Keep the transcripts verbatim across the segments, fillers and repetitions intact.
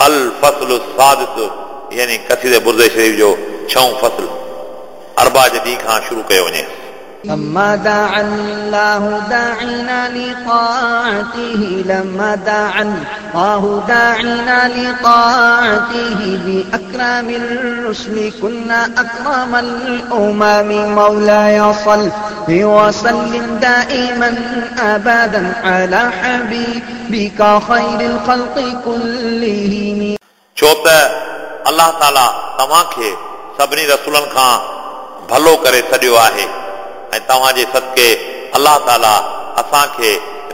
الفصل السادس यानी कसीदे बुर्दे शरीफ जो छहों फ़सल अरबा जे ॾींहं खां शुरू कयो वञे। لما دعا الله داعنا لطاعته لما دعا الله داعنا لطاعته بأكرم الرسل كنا أكرم الأمم مولاي صل وسلم دائما أبدا على حبيبك خير الخلق كلهم। छो त अल्लाह ताला तव्हांखे सभिनी रसूलनि खां भलो करे छॾियो आहे ऐं तव्हांजे सदके अल्लाह ताला असांखे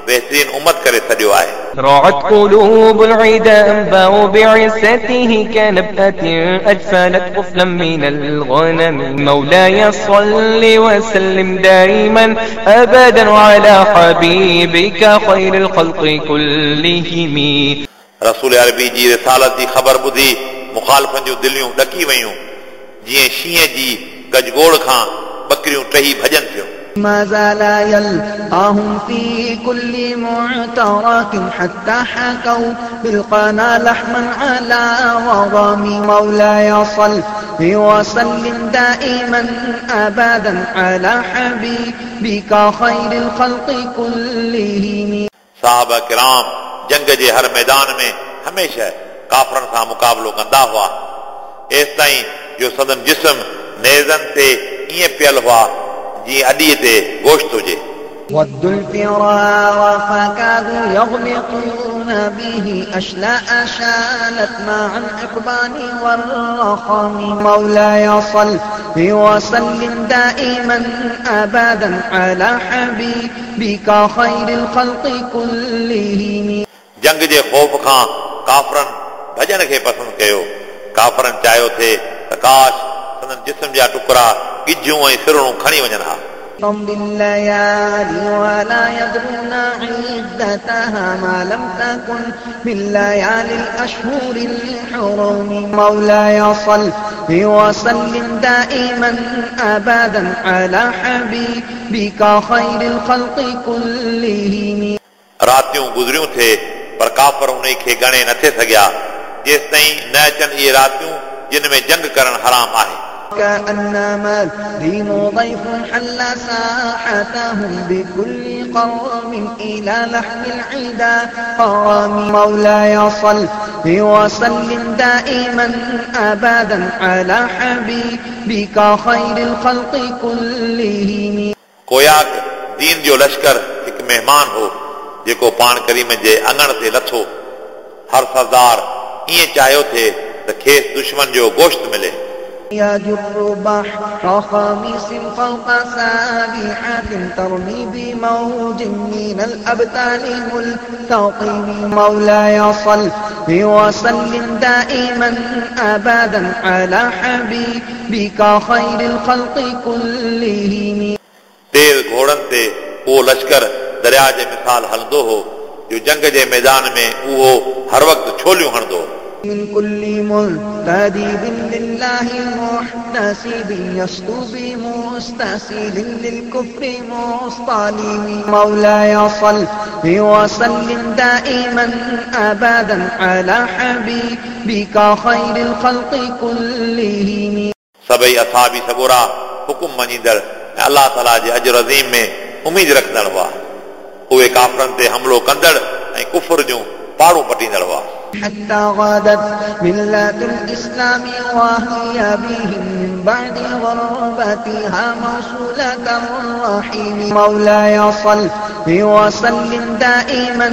बेहतरीन उम्मत करे छॾियो आहे। رعت قلوب العدا أنباء بعزته كنبأة أجفلت طفلا من الغنم مولاي صل وسلم دائما أبدا على حبيبك خير الخلق كلهم। रसूल अरबी जी रिसालत जी ख़बर ॿुधी मुखालिफनि जूं दिलियूं ॾकी वयूं, जीअं शींहं जी गजगोड़ खां बकरियूं टही भॼनि थियूं। ما زال يلقاهم في كل معترك حتى حكوا بالقنا لحما على وضم مولاي صل وسلم دائما أبدا على حبيبك خير الخلق كلهم। साहब किराम जंग जे हर मैदान में हमेशह काफ़रनि सां मुक़ाबिलो कंदा हुआ, एसि ताईं जो सदन जिस्म नेज़नि ते ईअं पियल हुआ जीअं अॾीअ ते गोश्त हुजे। ودوا الفرار فكادوا يغلقون به أشلاء شالت مع الإقبال والرخم مولاي صل وسلم دائما أبدا على حبيبك خير الخلق كلهم। जंग जे ख़ौफ़ खां काफ़रनि भॼण खे पसंदि कयो। काफ़रनि चाहियो थे त काश संदन जिस्म जा टुकड़ा गिझूं ऐं सिरणूं खणी वञनि हा। تمضي الليالي ولا يدرون عدتها ما لم تكن من ليالي الأشهر الحرم مولاي صل وسلم دائما أبدا على حبيبك خير الخلق كلهم। रातियूं गुज़रियूं थे पर काफ़र उन खे ॻणे नथे सघिया जेसि ताईं न अचनि इहे रातियूं जिन में जंग करणु हराम आहे। كأنما الدين ضيف حل ساحتهم بكل قوم إلى لحم العدا قرام مولاي صل وسلم دائما أبدا على حبيبك خير الخلق كلهم। कोयाक दीन जो लश्कर हिकु महिमान हो जेको पाण करीम जे अंगण ते लथो। हर सरदार ईअं चाहियो थे त खेसि दुश्मन जो गोश्त मिले। يجر بحر خميس فوق سابحة ترمي بموج من الأبتال ملتقم مولاي صل وسلم دائما أبدا على حبيبك خير الخلق كلهم। तेज़ घोड़नि ते उहो लश्कर दरिया जे मिसाल हलंदो हो जो जंग जे मैदान में उहो हर वक़्तु छोलियूं हणंदो हो। من كل منتدب لله محتسب يسطو بمستسل للكفر مصطلم مولاي صل وسلم دائما أبدا على حبيبك خير الخلق كلهم। सभई असाबी सगोरा हुकुम मञींदड़ ऐं अल्लाह ताला जे अजर अज़ीम में उमेद रखंदड़ हुआ। उहे काफ़रनि ते हमलो कंदड़ ऐं कुफर जूं पाड़ूं पटींदड़ हुआ। حتى غدت ملة الإسلام وهي بهم من بعد غربتها موصولة الرحم مولاي صل وسلم دائما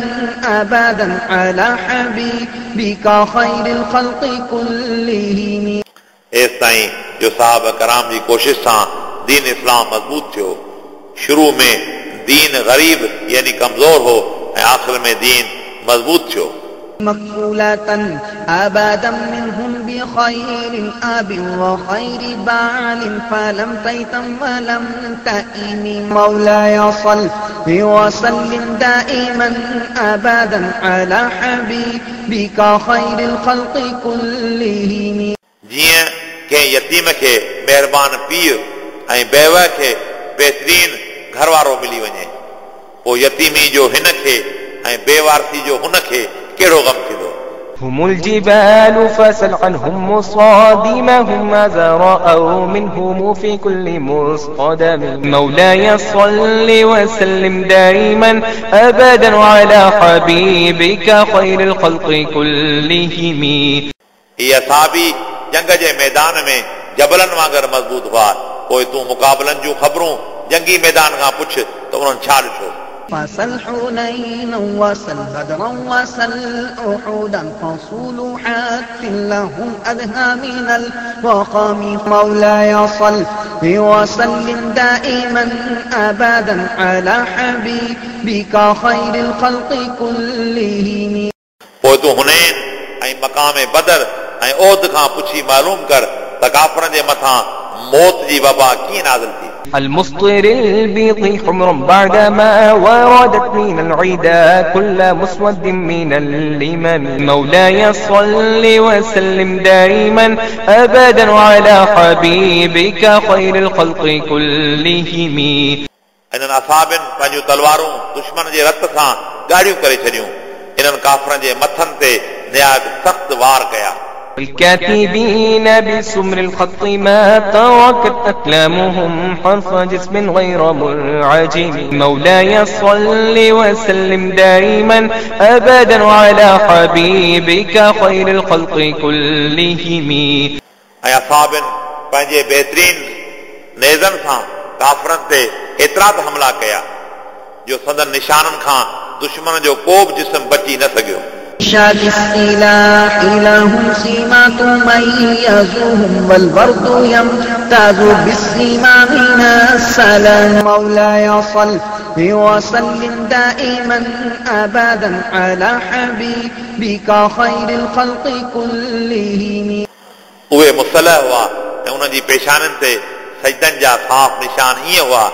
أبدا على حبيبك خير الخلق كلهم। एसि ताईं जो साहब कराम जी कोशिश सां दीन इस्लाम मज़बूत थियो। शुरू में दीन ग़रीब यानी कमज़ोर हो ऐं आख़िर में दीन मज़बूत थियो। مكفولة أبدا منهم بخير أب وخير بعل فلم تيتم ولم تئم مولاي صل وسلم دائما أبدا على حبيبك خير الخلق كلهم। जीअं कंहिं यतीम खे महिरबान पीउ ऐं बेवा खे बहितरीन घर वारो मिली वञे, पोइ यतीमी जो हिन खे ऐं बेवारसी जो हुन खे कहिड़ो ग़म थींदो। هم الجبال فسل عنهم مصادمهم ماذا رأوا منهم في كل مصطدم مولاي صل وسلم دائما أبدا على حبيبك خير الخلق كلهم. ही असाबी जंग जे मैदान में जबलनि वांगुरु मज़बूत हुआ। पोइ तूं मुक़ाबलनि जूं ख़बरूं जंगी मैदान खां पुछ त उन्हनि छा ॾिठो। فسل حنينا وسل بدرا وسل أحدا فصول حتف لهم أدهى من الوقام مولاي صل وسلم دائما أبدا على حبيبك خير الخلق كلهم. पोइ तूं हुनैन ऐं मक़ाम बदर ऐं ओद खां पुछी मालूम कर त काफ़रनि जे मथां मौत जी वबा कीअं नाज़िल थी। المسطر البيض حمرا بعدما وردت من العدا كل مسود من الإمام مولاي صل وسلم دائما أبدا على حبيبك خير الخلق كلهم. इन्हनि असाबिन पंहिंजूं तलवारूं दुश्मन जे रत सां ॻाढ़ियूं करे छॾियूं। इन्हनि काफ़रनि जे मथनि ते निहायत सख़्त वार कया। الكاتبين بسمر الخط ما تركت أقلامهم حرف جسم غير منعجم مولاي صل وسلم دائما أبدا على حبيبك خير الخلق كلهم. ऐं असाबिन पंहिंजे बहितरीन नेज़नि सां काफ़रनि ते एतिरा त हमला कया जो संदन निशाननि खां दुश्मन जो को बि जिस्म बची न सघियो। شاد السلاح لهم سيما تميزهم والبرد يمتاز بالسيما من السلام مولاي صل وسلم دائما أبدا على حبيبك خير الخلق كلهم. उहे मुसलह हुआ ऐं उन्हनि जी पेशाननि ते सजदनि जा साफ़ निशान ईअं हुआ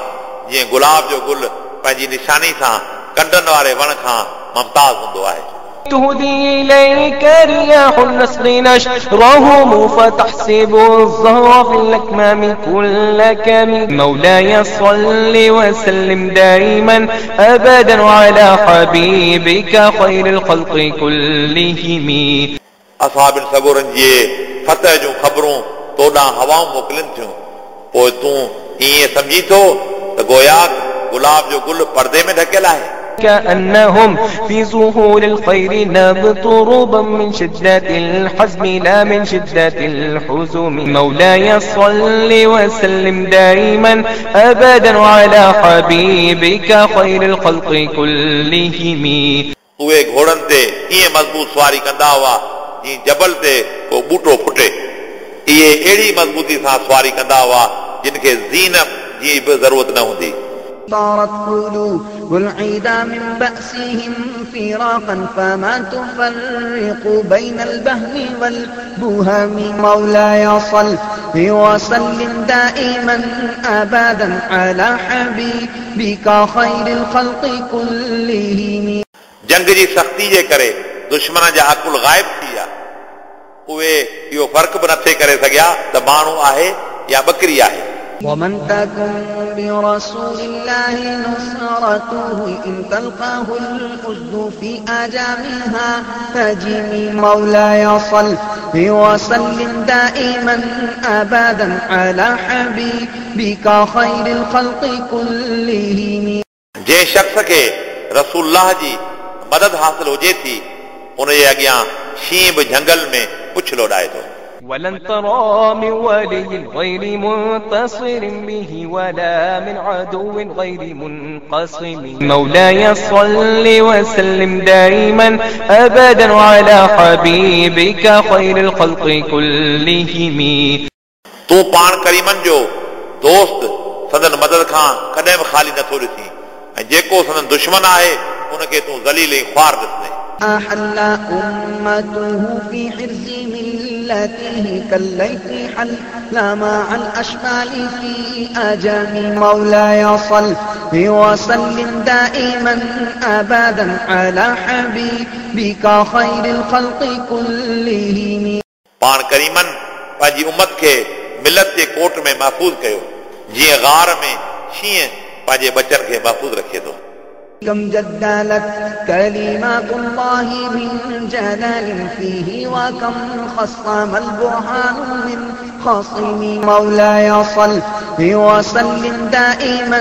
जीअं गुलाब जो गुल पंहिंजी निशानी सां कंडनि वारे वण खां मुमताज़ हूंदो आहे। تهدي إليك رياح النصر نشرهم فتحسب الزهر في الأكمام كل كم مولاي صل وسلم دائما أبدا على حبيبك خير الخلق كلهم. असाबिन सगोरनि जे फतह जूं ख़बरूं तो ॾांहुं हवाऊं मोकिलनि थियूं, पोइ तूं ईअं सम्झी थो त गोया गुलाब जो गुल पर्दे में ढकियल आहे। كأنهم في زهور الخير نبت ربا من شدة الحزم لا من شدة الحزم مولاي صل وسلم دائما أبدا على حبيبك خير الخلق كلهم. उहे घोड़नि ते ईअं मज़बूत सवारी कंदा हुआ जीअं जबल ते को ॿूटो फुटे। इहे अहिड़ी मज़बूती सां सवारी कंदा हुआ जिन खे ज़ीन जी बि ज़रूरत न हूंदी। طارت قلوب العدا من بأسهم فراقا فما تفرق بين البهم والبهم مولاي صل وسلم دائما أبدا على حبيبك خير الخلق كلهم. जंग जी सख़्ती जे करे दुश्मन जा अकुल ग़ाइब थी विया। उहे इहो फ़र्क़ु बि नथे करे सघिया त माण्हू आहे या बकरी आहे। ومن تكن برسول الله نصرته إن تلقاه الأسد في أجامها تجمي مولاي صل وسلم دائما أبدا على حبيبك خير الخلق كلهم. जंहिं शख़्स खे रसूलुल्लाह जी मदद हासिल हुजे थी उन जे अॻियां शींहुं बि जंगल में पुछ लोॾाए थो। ولن ترى من ولي غير منتصر به ولا من عدو غير منقسم مولاي صل وسلم دائما أبدا على حبيبك خير الخلق كلهم. तूं पाण करीमन जो दोस्त संदन मदद खां कॾहिं बि ख़ाली नथो ॾिसीं ऐं जेको संदन दुश्मन आहे उनखे तूं ज़लील ऐं ख़्वार ॾिसंदे। أحل أمته في حرز ملته كالليث حل مع الأشمال في أجام مولاي صل وسلم دائما أبدا على حبيبك خير الخلق كلهم. पाण करीमन पंहिंजी उम्मत खे मिलत जे कोट में महफ़ूज़ कयो जीअं गार में शींहुं पंहिंजे बचनि खे महफ़ूज़ रखे थो। كم جدلت كلمات الله من جلال فيه وكم خصم البرهان من خصم. مولاي صل وسلم دائما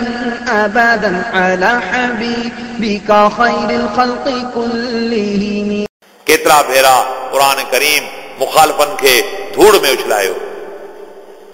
أبدا على حبيبك خير الخلق كلهم. केतिरा भेरा क़ुरान करीम मुखालिफनि खे धूड़ में उछलायो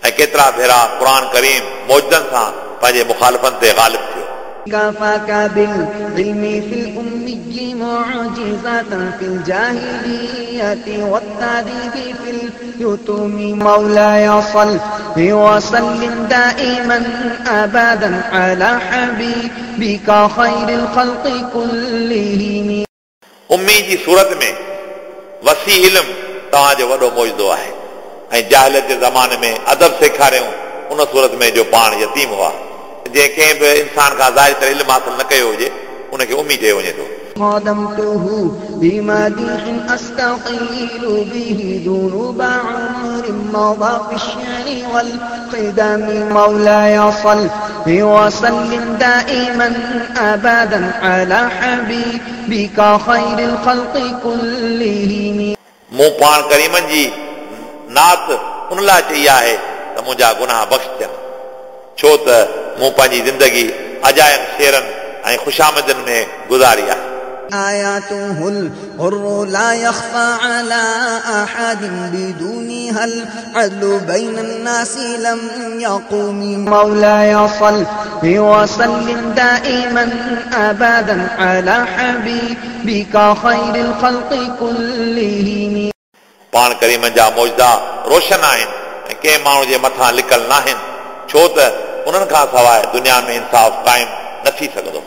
ऐं केतिरा भेरा क़ुरान करीम मौजदनि सां पंहिंजे मुखालिफनि ते ग़ालिब थियो। كفاك بالعلم في الأمي معجزة في الجاهلية والتعذيب في اليتم. مولاي صل وسلم دائما أبدا على حبيبك خير الخلق كلهم. उम्मी जी सूरत में वसी इल्म तव्हांजो वॾो मौजदो आहे ऐं जाहिलियत जे ज़माने में अदब सेखारियऊं उन सूरत में जो पाण यतीम हुआ। जंहिं कंहिं बि इंसान खां ज़ाहिर तरह इल्म हासिल न कयो हुजे उनखे उम्मी चयो वञे थो। خدمته بمديح أستقيل به ذنوب عمر مضى في الشعر والقدم. مولاي صل وسلم دائما أبدا على حبيبك خير الخلق كلهم. मूं पाण करीमनि जी नात उन लाइ चई आहे त मुंहिंजा गुनाह बख़्श थियनि, छो त मूं पंहिंजी ज़िंदगी अजायनि शेरनि ऐं ख़ुशामदनि में गुज़ारी आहे। آياته الغر لا يخفى على أحد بدونها العدل بين الناس لم يقم. مولاي صل وسلم دائما أبدا على حبيبك خير الخلق كلهم. पाण करीमनि जा मौजदा रोशन आहिनि ऐं कंहिं माण्हू जे मथां लिकल न आहिनि, छो त उन्हनि खां सवाइ दुनिया में इंसाफ़ क़ाइमु न थी सघंदो।